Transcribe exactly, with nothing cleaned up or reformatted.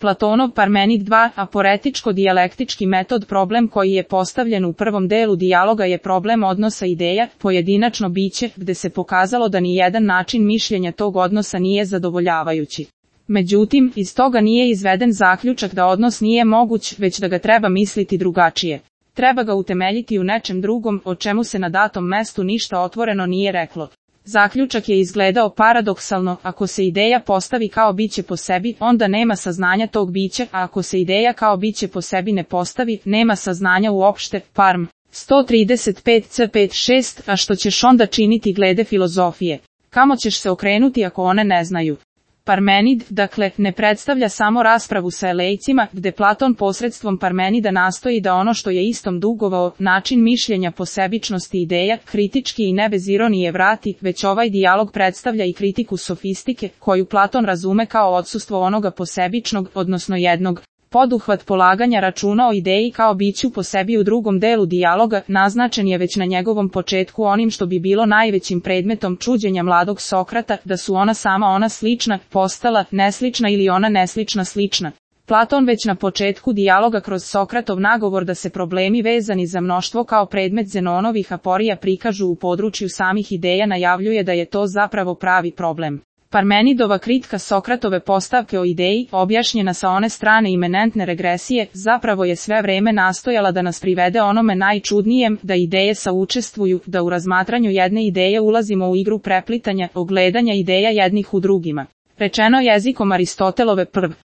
Platonov Parmenid dva, aporetičko-dijalektički metod. Problem koji je postavljen u prvom delu dijaloga je problem odnosa ideja, pojedinačno biće, gde se pokazalo da ni jedan način mišljenja tog odnosa nije zadovoljavajući. Međutim, iz toga nije izveden zaključak da odnos nije moguć, već da ga treba misliti drugačije. Treba ga utemeljiti u nečem drugom, o čemu se na datom mestu ništa otvoreno nije reklo. Zaključak je izgledao paradoksalno: ako se ideja postavi kao biće po sebi, onda nema saznanja tog bića, a ako se ideja kao biće po sebi ne postavi, nema saznanja uopšte. Parm. sto trideset pet c pet šest. A što ćeš onda činiti glede filozofije? Kamo ćeš se okrenuti ako one ne znaju? Parmenid, dakle, ne predstavlja samo raspravu sa elejcima, gde Platon posredstvom Parmenida nastoji da ono što je istom dugovao, način mišljenja posebičnosti ideja, kritički i ne bez ironije vrati, već ovaj dijalog predstavlja i kritiku sofistike, koju Platon razume kao odsustvo onoga posebičnog, odnosno jednog. Poduhvat polaganja računa o ideji kao biću po sebi u drugom delu dijaloga naznačen je već na njegovom početku onim što bi bilo najvećim predmetom čuđenja mladog Sokrata, da su ona sama ona slična, postala neslična ili ona neslična slična. Platon već na početku dijaloga kroz Sokratov nagovor da se problemi vezani za mnoštvo kao predmet Zenonovih aporija prikažu u području samih ideja najavljuje da je to zapravo pravi problem. Parmenidova kritika Sokratove postavke o ideji, objašnjena sa one strane imanentne regresije, zapravo je sve vreme nastojala da nas privede onome najčudnijem, da ideje saučestvuju, da u razmatranju jedne ideje ulazimo u igru preplitanja, ogledanja ideja jednih u drugima. Rečeno jezikom Aristotelove prv.